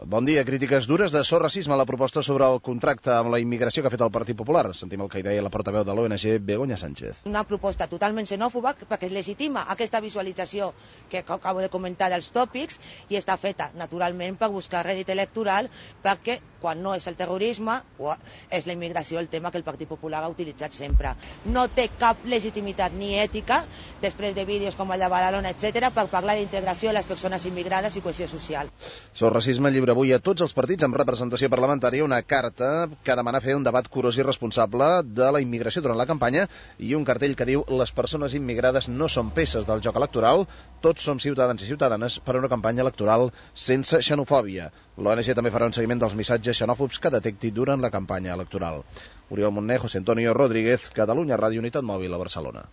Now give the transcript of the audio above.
Bon dia. Crítiques dures de So Racisme a la proposta sobre el contracte amb la immigració que ha fet el Partit Popular. Sentim el que hi deia la portaveu de l'ONG, Begoña Sánchez. Una proposta totalment xenòfoba perquè legitima aquesta visualització que acabo de comentar dels tòpics i està feta naturalment per buscar rèdit electoral, perquè quan no és el terrorisme és la immigració el tema que el Partit Popular ha utilitzat sempre. No té cap legitimitat ni ètica després de vídeos com el de Badalona, etc., per parlar d'integració de les persones immigrades i cohesió social. So Racisme lliura avui a tots els partits amb representació parlamentària una carta que demana fer un debat curós i responsable de la immigració durant la campanya i un cartell que diu: les persones immigrades no són peces del joc electoral, tots som ciutadans i ciutadanes per a una campanya electoral sense xenofòbia. L'ONG també farà un seguiment dels missatges xenòfobs que detecti durant la campanya electoral. Oriol Montner, José Antonio Rodríguez, Catalunya Ràdio, Unitat Mòbil a Barcelona.